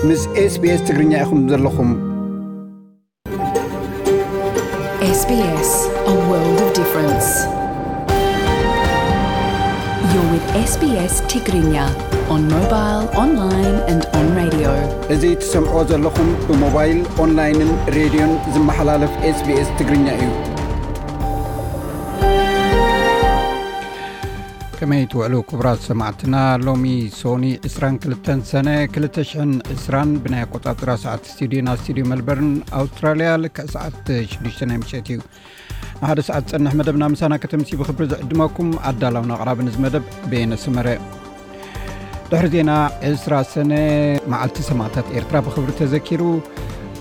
ምስ SBS ትግርኛ ኢኹም ዘለኹም። S B S, a world of difference. You're with S B S Tigrinya on mobile, online and on radio. እዚ ትሰምዕዎ ዘለኹም ብሞባይል፣ ኦንላይንን ሬድዮን ዝመሓላለፍ SBS ትግርኛ እዩ። ከመይ ትውዕሉ ክቡራት ሰማዕትና? ሎሚ ሶኒ ዕስራን ክልተን ሰነ ክልተ ሽሕን ዕስራን ብናይ ኣቆጻጽራ ሰዓት ስቱዲዮና ስቱዲዮ መልበርን ኣውስትራልያ ልክዕ ሰዓት ሽዱሽተ ናይ ምሸት እዩ። ንሓደ ሰዓት ዝጸንሕ መደብና ምሳና ከተምሲ ብኽብሪ ዝዕድመኩም ኣዳላውን ኣቕራብን እዚ መደብ በየነ ሰመረ። ድሕሪ ዜና ዕስራ ሰነ መዓልቲ ሰማእታት ኤርትራ ብኽብሪ ተዘኪሩ።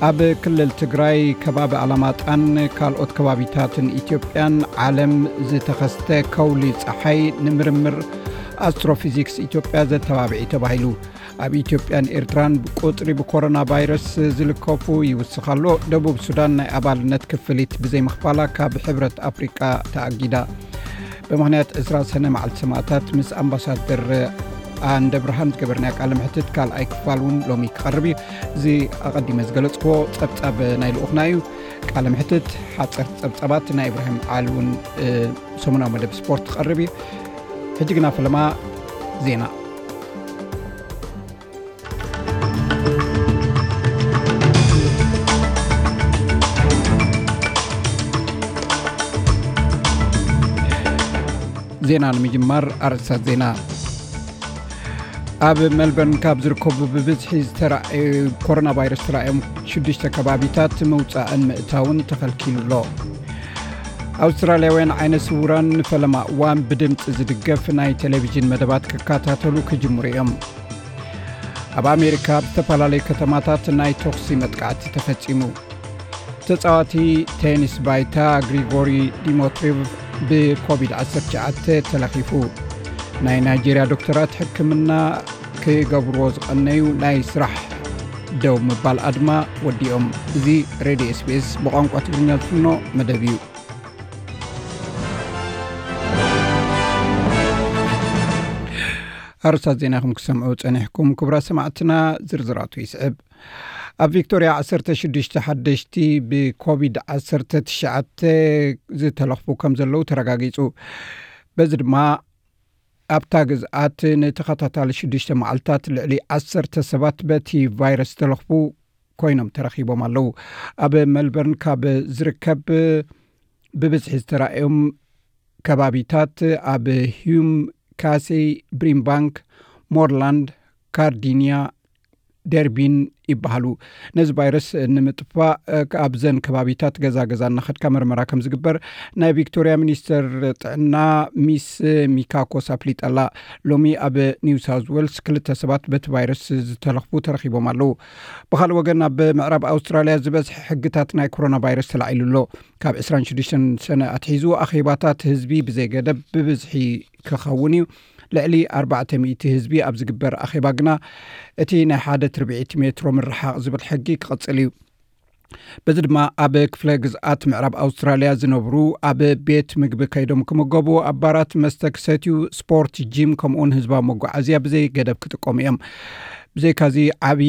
ኣብ ክልል ትግራይ ከባቢ ኣላማጣን ካልኦት ከባቢታትን ኢትዮጵያን ዓለም ዝተኸስተ ከውሊ ጸሓይ ንምርምር ኣስትሮፊዚክስ ኢትዮጵያ ዘተባብዒ ተባሂሉ። ኣብ ኢትዮጵያን ኤርትራን ብቁጽሪ ብኮሮና ቫይረስ ዝልከፉ ይውስኽ ኣሎ። ደቡብ ሱዳን ናይ ኣባልነት ክፍሊት ብዘይምኽፋላ ካብ ሕብረት ኣፍሪቃ ተኣጊዳ። ብምኽንያት ዕስራ ሰነ መዓልቲ ሰማእታት ምስ ኣምባሳደር ኣንደ ብርሃን ዝገበርናዮ ቃለ ምሕትት ካልኣይ ክፋል እውን ሎሚ ክቐርብ እዩ። እዚ ኣቐዲመ ዝገለጽክዎ ጸብጻብ ናይ ልኡኽና እዩ። ቃለ ምሕትት ሓጸርቲ ጸብጻባት ናይ ኢብራሂም ዓሊ እውን ሰሙናዊ መደብ ስፖርት ክቐርብ እዩ። ሕጂ ግና ፈለማ ዜና። ዜና ንምጅማር ኣርእስታት ዜና። ኣብ ሜልበርን ካብ ዝርከቡ ብብዝሒ ዝተራእዩ ኮሮና ቫይረስ ተራእዮም ሽዱሽተ ከባቢታት ምውፃእን ምእታውን ተኸልኪሉ ኣሎ። ኣውስትራልያውያን ዓይነ ስውራን ንፈለማ እዋን ብድምፂ ዝድገፍ ናይ ቴሌቪዥን መደባት ክከታተሉ ክጅምሩ እዮም። ኣብ ኣሜሪካ ኣብ ዝተፈላለዩ ከተማታት ናይ ተኹሲ መጥቃዕቲ ተፈጺሙ። ተጻዋቲ ቴኒስ ባይታ ግሪጎሪ ዲሞትሪቭ ብኮቪድ ዓሰርተ ትሽዓተ ተለኺፉ። ናይ ናይጄርያ ዶክተራት ሕክምና ክገብርዎ ዝቐነዩ ናይ ስራሕ ደው ምባል ኣድማ ወዲኦም። እዚ ሬድዮ ኤስቢኤስ ብቋንቋ ትግርኛ ዝፍኖ መደብ እዩ። ኣርስታት ዜና ኢኹም ክሰምዑ ጸኒሕኩም። ክቡራት ሰማዕትና፣ ዝርዝራቱ ይስዕብ። ኣብ ቪክቶርያ ዓሰርተ ሽዱሽተ ሓደሽቲ ብኮቪድ ዓሰርተ ትሽዓተ ዝተለኽፉ ከም ዘለዉ ተረጋጊጹ። በዚ ድማ ኣብታ ግዝኣት ንተኸታታሊ ሽዱሽተ መዓልታት ልዕሊ ዓሰርተ ሰባት በቲ ቫይረስ ዝተለኽፉ ኮይኖም ተረኺቦም ኣለዉ። ኣብ ሜልበርን ካብ ዝርከብ ብብዝሒ ዝተራእዮም ከባቢታት ኣብ ሂዩም፣ ካሴይ፣ ብሪምባንክ፣ ሞርላንድ፣ ካርዲንያ፣ ደርቢን ይበሃሉ። ነዚ ቫይረስ ንምጥፋእ ኣብዘን ከባቢታት ገዛ ገዛ እናኸድካ መርመራ ከም ዝግበር ናይ ቪክቶርያ ሚኒስተር ጥዕና ሚስ ሚካኮስ ኣፍሊጣ ኣላ። ሎሚ ኣብ ኒው ሳውዝ ዌልስ ክልተ ሰባት በቲ ቫይረስ ዝተለኽፉ ተረኺቦም ኣለዉ። ብኻልእ ወገን ኣብ ምዕራብ ኣውስትራልያ ዝበዝሐ ሕግታት ናይ ኮሮና ቫይረስ ተላዒሉ ኣሎ። ካብ ዕስራን ሽዱሽተን ሰነ ኣትሒዙ ኣኼባታት ህዝቢ ብዘይገደብ ብብዝሒ ክኸውን እዩ። ልዕሊ ኣርባዕተ ሚእቲ ህዝቢ ኣብ ዝግበር ኣኼባ ግና እቲ ናይ ሓደ ትርብዒት ሜትሮ ምርሓቕ ዝብል ሕጊ ክቕጽል እዩ። በዚ ድማ ኣብ ክፍለ ግዝኣት ምዕራብ ኣውስትራልያ ዝነብሩ ኣብ ቤት ምግቢ ከይዶም ክምገቡ፣ ኣብ ባራት መስተ ክሰትዩ፣ ስፖርት፣ ጂም ከምኡውን ህዝባዊ መጓዓዝያ ብዘይ ገደብ ክጥቀሙ እዮም። ብዘይካዚ ዓቢ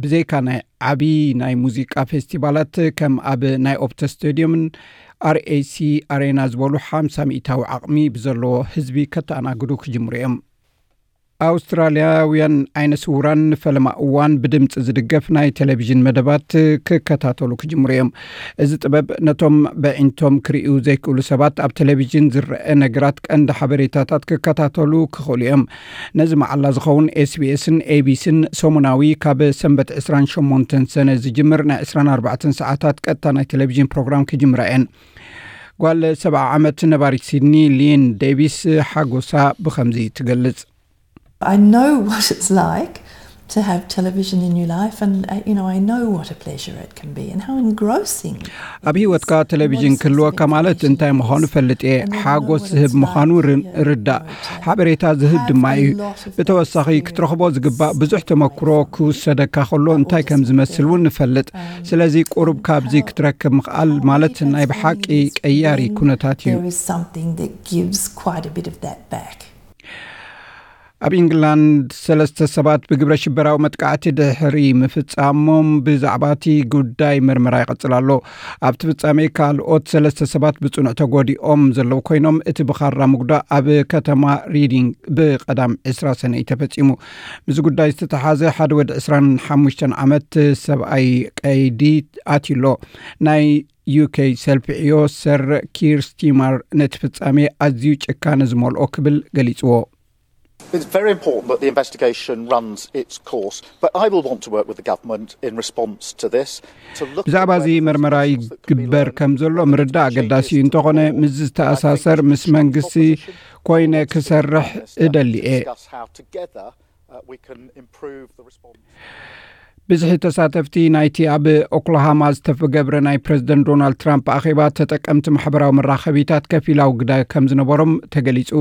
ብዘይካ ናይ ዓቢ ናይ ሙዚቃ ፌስቲቫላት ከም ኣብ ናይ ኦፕተ ስቴድዮምን ኣርኤሲ ኣሬና ዝበሉ ሓምሳ ሚእታዊ ዓቕሚ ብዘለዎ ህዝቢ ከተኣናግዱ ክጅምሩ እዮም። ኣውስትራልያውያን ዓይነ ስውራን ንፈለማ እዋን ብድምፂ ዝድገፍ ናይ ቴሌቪዥን መደባት ክከታተሉ ክጅምሩ እዮም። እዚ ጥበብ ነቶም በዒንቶም ክርእዩ ዘይክእሉ ሰባት ኣብ ቴሌቪዥን ዝረአ ነገራት ቀንዲ ሓበሬታታት ክከታተሉ ክኽእሉ እዮም። ነዚ መዓላ ዝኸውን ኤስቢኤስን ኤቢሲን ሰሙናዊ ካብ ሰንበት ዕስራን ሸሞንተን ሰነ ዝጅምር ናይ ዕስራን ኣርባዕተን ሰዓታት ቀጥታ ናይ ቴሌቪዥን ፕሮግራም ክጅምራ እየን። ጓል ሰብዓ ዓመት ነባሪት ሲድኒ ሊን ዴቪስ ሓጎሳ ብኸምዚ ትገልጽ። I know what it's like to have television in your life, and uh, you know, I know what a pleasure it can be and how engrossing. ኣብ ህይወትካ ቴሌቪዥን ክህልወካ ማለት እንታይ ምዃኑ ፈልጥ እየ። ሓጎስ ዝህብ ምዃኑ ር- ርዳእ። ሓበሬታ ዝህብ ድማ እዩ። ብተወሳኺ ክትረኽቦ ዝግባእ ብዙሕ ተመክሮ ክውሰደካ ከሎ እንታይ ከም ዝመስል እውን ንፈልጥ። ስለዚ ቁሩብ ካብዚ ክትረክብ ምኽኣል ማለት ናይ ብሓቂ ቀያሪ ኩነታት እዩ። There is something that gives quite a bit of that back. ኣብ ኢንግላንድ ሰለስተ ሰባት ብግብረ ሽበራዊ መጥቃዕቲ ድሕሪ ምፍጻሞም ብዛዕባ እቲ ጉዳይ ምርመራ ይቐጽል ኣሎ። ኣብቲ ፍጻሜ ካልኦት ሰለስተ ሰባት ብጽኑዕ ተጎዲኦም ዘለዉ ኮይኖም፣ እቲ ብኻራ ምጉዳእ ኣብ ከተማ ሪዲንግ ብቐዳም ዕስራ ሰነ እዩ ተፈጺሙ። ምስ ጉዳይ ዝተተሓዘ ሓደ ወዲ ዕስራን ሓሙሽተን ዓመት ሰብኣይ ቀይዲ ኣትዩሎ። ናይ ዩኬ ሰልፊ ዕዮ ሰር ኪር ስቲማር ነቲ ፍጻሜ ኣዝዩ ጭካነ ዝመልኦ ክብል ገሊጽዎ። It's very important that the investigation runs its course, but I will want to work with the government in response to this. To look at ብዛዕባ እዚ whether there's መርመራ lessons that can be ይግበር learned, ከም ዘሎ whether ምርዳእ there's ኣገዳሲ changes እዩ። to the እንተኾነ law. ምስ ዝተኣሳሰር ምስ መንግስቲ ኮይነ ክሰርሕ እደሊ እየ። Discuss how together uh, we can improve the response. ብዝሒ ተሳተፍቲ ናይቲ ኣብ ኦክላሃማ ዝተገብረ ናይ ፕሬዝደንት ዶናልድ ትራምፕ ኣኼባ ተጠቀምቲ ማሕበራዊ መራኸቢታት ከፊላዊ ግደ ከም ዝነበሮም ተገሊጹ።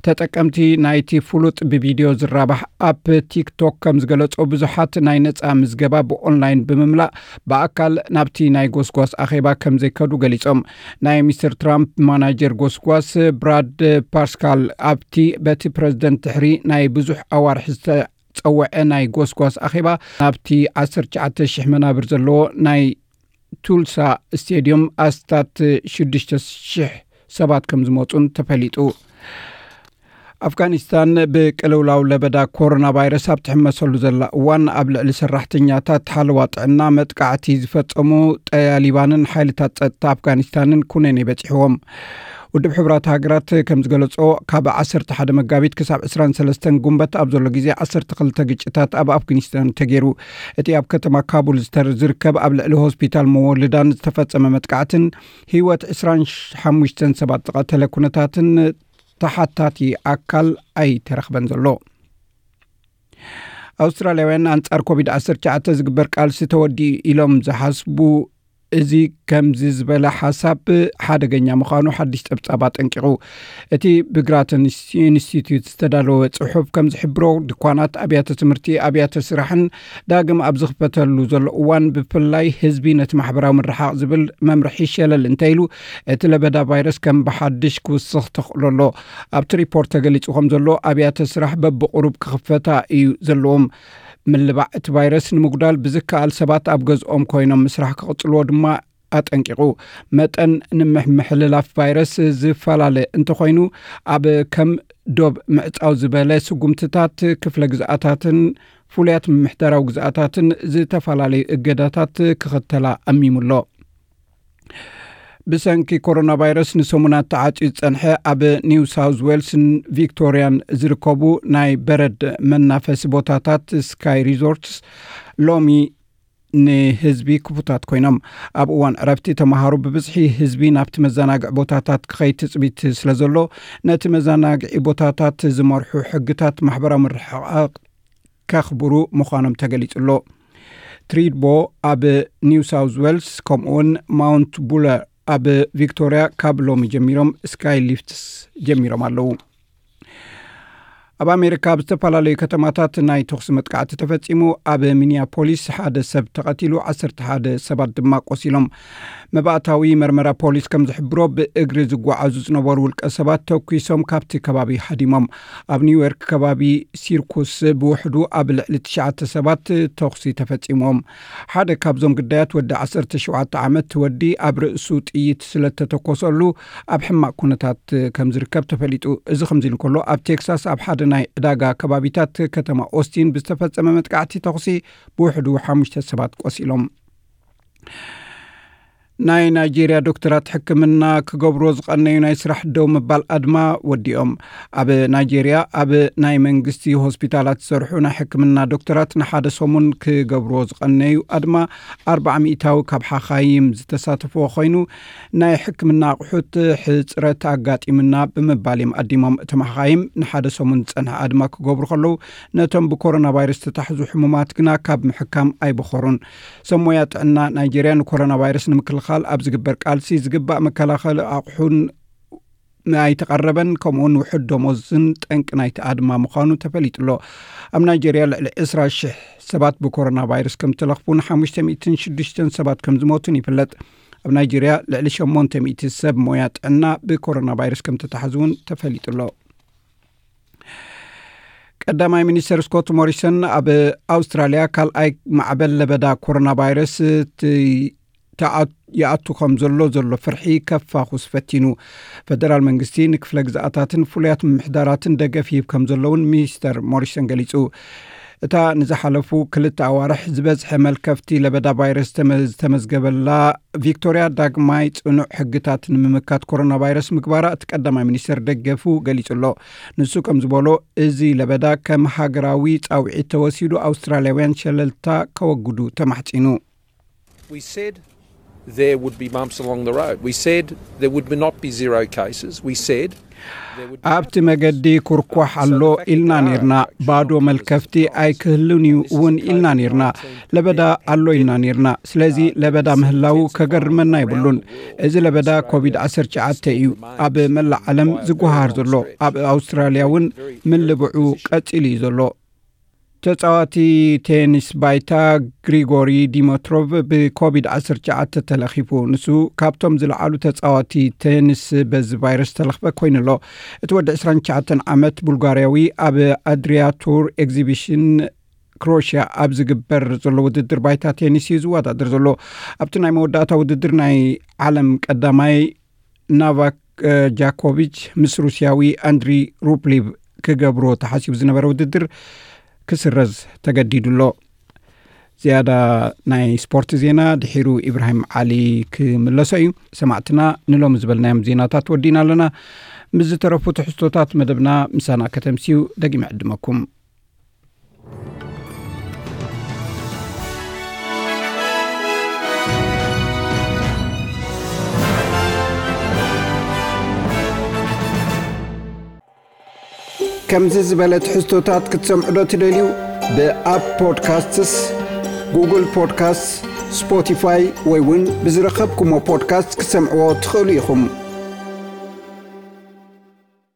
ተጠቀምቲ ናይቲ ፍሉጥ ብቪድዮ ዝራባሕ ኣፕ ቲክቶክ ከም ዝገለጾ፣ ብዙሓት ናይ ነጻ ምዝገባ ብኦንላይን ብምምላእ ብኣካል ናብቲ ናይ ጎስጓስ ኣኼባ ከም ዘይከዱ ገሊጾም። ናይ ሚስተር ትራምፕ ማናጀር ጎስጓስ ብራድ ፓስካል ኣብቲ በቲ ፕሬዝደንት ድሕሪ ናይ ብዙሕ ኣዋርሕ ዝተ ጸውዐ ናይ ጎስጓስ ኣኼባ ናብቲ ዓሰርተ ትሽዓተ ሽሕ መናብር ዘለዎ ናይ ቱልሳ ስቴድዮም ኣስታት ሽዱሽተ ሽሕ ሰባት ከም ዝመጹን ተፈሊጡ። ኣፍጋኒስታን ብቅልውላው ለበዳ ኮሮና ቫይረስ ኣብ ትሕመሰሉ ዘላ እዋን፣ ኣብ ልዕሊ ሰራሕተኛታት ሓለዋ ጥዕና መጥቃዕቲ ዝፈጸሙ ጠያሊባንን ሓይልታት ጸጥታ ኣፍጋኒስታንን ኩነኔ በጺሕዎም። ውድብ ሕቡራት ሃገራት ከም ዝገለጾ፣ ካብ ዓሰርተ ሓደ መጋቢት ክሳብ ዕስራን ሰለስተን ጉንበት ኣብ ዘሎ ግዜ ዓሰርተ ክልተ ግጭታት ኣብ ኣፍጋኒስታን ተገይሩ። እቲ ኣብ ከተማ ካቡል ዝተር ዝርከብ ኣብ ልዕሊ ሆስፒታል መወልዳን ዝተፈጸመ መጥቃዕትን ህይወት ዕስራን ሓሙሽተን ሰባት ዝቐተለ ኩነታትን ተሓታቲ ኣካል ኣይተረኽበን ዘሎ። ኣውስትራልያውያን ኣንጻር ኮቪድ ዓሰርተ ትሽዓተ ዝግበር ቃልሲ ተወዲኡ ኢሎም ዝሓስቡ፣ እዚ ከምዚ ዝበለ ሓሳብ ሓደገኛ ምዃኑ ሓድሽ ጸብጻብ ኣጠንቂቑ። እቲ ብግራተን ኢንስቲትዩት ዝተዳለወ ጽሑፍ ከም ዝሕብሮ፣ ድኳናት፣ ኣብያተ ትምህርቲ፣ ኣብያተ ስራሕን ዳግም ኣብ ዝኽፈተሉ ዘሎ እዋን፣ ብፍላይ ህዝቢ ነቲ ማሕበራዊ ምርሓቕ ዝብል መምርሒ ሸለል እንተኢሉ፣ እቲ ለበዳ ቫይረስ ከም ብሓድሽ ክውስኽ ተኽእሎ ኣሎ። ኣብቲ ሪፖርት ተገሊጹ ከም ዘሎ፣ ኣብያተ ስራሕ በብቕሩብ ክኽፈታ እዩ ዘለዎም። ምልባዕ እቲ ቫይረስ ንምጉዳል ብዝከኣል ሰባት ኣብ ገዝኦም ኮይኖም ምስራሕ ክቕጽልዎ ድማ ኣጠንቂቑ። መጠን ንምምሕልላፍ ቫይረስ ዝፈላለ እንተኾይኑ፣ ኣብ ከም ዶብ ምዕጻው ዝበለ ስጉምትታት ክፍለ ግዝኣታትን ፍሉያት ምምሕዳራዊ ግዝኣታትን ዝተፈላለዩ እገዳታት ክኽተላ ኣሚሙ ኣሎ። ብሰንኪ ኮሮና ቫይረስ ንሰሙናት ተዓጽዩ ዝጸንሐ ኣብ ኒው ሳውዝ ዌልስን ቪክቶሪያን ዝርከቡ ናይ በረድ መናፈሲ ቦታታት ስካይ ሪዞርትስ ሎሚ ንህዝቢ ክፉታት ኮይኖም። ኣብ እዋን ዕረፍቲ ተምሃሮ ብብዝሒ ህዝቢ ናብቲ መዘናግዒ ቦታታት ክኸይድ ትጽቢት ስለ ዘሎ፣ ነቲ መዘናግዒ ቦታታት ዝመርሑ ሕግታት ማሕበራዊ ምርሕቓቕ ከኽብሩ ምዃኖም ተገሊጹ ኣሎ። ትሪድቦ ኣብ ኒው ሳውዝ ዌልስ ከምኡውን ማውንት ቡለር ኣብ ቪክቶሪያ ካብ ሎሚ ጀሚሮም ስካይ ሊፍትስ ጀሚሮም ኣለዉ። ኣብ ኣሜሪካ ኣብ ዝተፈላለዩ ከተማታት ናይ ተኹሲ መጥቃዕቲ ተፈጺሙ። ኣብ ሚኒያፖሊስ ሓደ ሰብ ተቐቲሉ፣ ዓሰርተ ሓደ ሰባት ድማ ቆሲሎም። መባእታዊ መርመራ ፖሊስ ከም ዝሕብሮ፣ ብእግሪ ዝጓዓዙ ዝነበሩ ውልቀ ሰባት ተኲሶም ካብቲ ከባቢ ሃዲሞም። ኣብ ኒውዮርክ ከባቢ ሲርኩስ ብውሕዱ ኣብ ልዕሊ ትሽዓተ ሰባት ተኹሲ ተፈጺሞም። ሓደ ካብዞም ግዳያት ወዲ ዓሰርተ ሸውዓተ ዓመት ወዲ ኣብ ርእሱ ጥይት ስለ ተተኮሰሉ ኣብ ሕማቕ ኩነታት ከም ዝርከብ ተፈሊጡ። እዚ ከምዚ ኢሉ እንከሎ፣ ኣብ ቴክሳስ ኣብ ሓደ ናይ ዕዳጋ ከባቢታት ከተማ ኦስቲን ብዝተፈጸመ መጥቃዕቲ ተኹሲ ብውሕዱ ሓሙሽተ ሰባት ቆሲሎም። ናይ ናይጄርያ ዶክተራት ሕክምና ክገብርዎ ዝቐነዩ ናይ ስራሕ ደው ምባል ኣድማ ወዲኦም። ኣብ ናይጄርያ ኣብ ናይ መንግስቲ ሆስፒታላት ዝሰርሑ ናይ ሕክምና ዶክተራት ንሓደ ሰሙን ክገብርዎ ዝቐነዩ ኣድማ ኣርባዓ ሚእታዊ ካብ ሓኻይም ዝተሳተፍዎ ኮይኑ፣ ናይ ሕክምና ኣቑሑት ሕጽረት ኣጋጢምና ብምባል እዮም ኣዲሞም። እቶም ሓኻይም ንሓደ ሰሙን ዝጸንሐ ኣድማ ክገብሩ ከለዉ፣ ነቶም ብኮሮና ቫይረስ ዝተታሕዙ ሕሙማት ግና ካብ ምሕካም ኣይበኸሩን። ሰብ ሞያ ጥዕና ናይጄርያ ንኮሮና ቫይረስ ንምክልኻል ኣብ ዝግበር ቃልሲ ዝግባእ መከላኸሊ ኣቑሑን ኣይተቐረበን፣ ከምኡውን ውሑድ ደሞዝን ጠንቂ ናይቲ ኣድማ ምዃኑ ተፈሊጡ ኣሎ። ኣብ ናይጄርያ ልዕሊ ዕስራ ሽሕ ሰባት ብኮሮና ቫይረስ ከም ተለኽፉን ሓሙሽተ ሚእትን ሽዱሽተን ሰባት ከም ዝሞቱን ይፍለጥ። ኣብ ናይጄርያ ልዕሊ ሸሞንተ ሚእቲ ሰብ ሞያ ጥዕና ብኮሮና ቫይረስ ከም ተታሕዙ እውን ተፈሊጡ ኣሎ። ቀዳማይ ሚኒስተር ስኮት ሞሪሰን ኣብ ኣውስትራልያ ካልኣይ ማዕበል ለበዳ ኮሮና ቫይረስ ይኣቱ ከም ዘሎ ዘሎ ፍርሒ ከፋኹስ ፈቲኑ። ፈደራል መንግስቲ ንክፍለ ግዝኣታትን ፍሉያት ምምሕዳራትን ደገፍ ይህብ ከም ዘለውን ሚኒስተር ሞሪሰን ገሊጹ። እታ ንዝሓለፉ ክልተ ኣዋርሕ ዝበዝሐ መልከፍቲ ለበዳ ቫይረስ ዝተመዝገበላ ቪክቶርያ ዳግማይ ጽኑዕ ሕግታት ንምምካት ኮሮና ቫይረስ ምግባራ እቲ ቀዳማይ ሚኒስተር ደገፉ ገሊጹ ኣሎ። ንሱ ከም ዝበሎ፣ እዚ ለበዳ ከም ሃገራዊ ጻውዒት ተወሲዱ ኣውስትራልያውያን ሸለልታ ከወግዱ ተማሕጺኑ። We said there would be bumps along the road. We said there would not be zero cases. We said ኣብቲ መገዲ ኩርኳሕ ኣሎ ኢልና ኔርና። ባዶ መልከፍቲ ኣይክህልን እዩ እውን ኢልና ኔርና። ለበዳ ኣሎ ኢልና ኔርና። ስለዚ ለበዳ ምህላው ከገርመና የብሉን። እዚ ለበዳ ኮቪድ ዓሰርተ ትሽዓተ እዩ ኣብ መላእ ዓለም ዝጓሃር ዘሎ። ኣብ ኣውስትራልያ እውን ምልብዑ ቀጺሉ እዩ ዘሎ። ተጻዋቲ ቴኒስ ባይታ ግሪጎሪ ዲሞትሮቭ ብኮቪድ ዓሰርተ ትሽዓተ ተለኺፉ። ንሱ ካብቶም ዝለዓሉ ተጻዋቲ ቴኒስ በዚ ቫይረስ ተለኽፈ ኮይኑ ኣሎ። እቲ ወዲ ዕስራን ትሽዓተን ዓመት ቡልጋርያዊ ኣብ ኣድሪያ ቱር ኤግዚቢሽን ክሮሽያ ኣብ ዝግበር ዘሎ ውድድር ባይታ ቴኒስ እዩ ዝወዳደር ዘሎ። ኣብቲ ናይ መወዳእታ ውድድር ናይ ዓለም ቀዳማይ ናቫክ ጃኮቪች ምስ ሩስያዊ ኣንድሪ ሩፕሊቭ ክገብሮ ተሓሲቡ ዝነበረ ውድድር ክስረዝ ተገዲዱ ኣሎ። ዝያዳ ናይ ስፖርት ዜና ድሒሩ ኢብራሂም ዓሊ ክምለሶ እዩ። ሰማዕትና፣ ንሎሚ ዝበልናዮም ዜናታት ወዲእና ኣለና። ምስ ዝተረፉ ትሕዝቶታት መደብና ምሳና ከተምስዩ ደጊመ ዕድመኩም። ከምዚ ዝበለ ትሕዝቶታት ክትሰምዑ ዶ ትደልዩ? ብኣፕ ፖድካስትስ፣ ጉግል ፖድካስትስ፣ ስፖቲፋይ ወይ እውን ብዝረኸብኩሞ ፖድካስት ክትሰምዕዎ ትኽእሉ ኢኹም።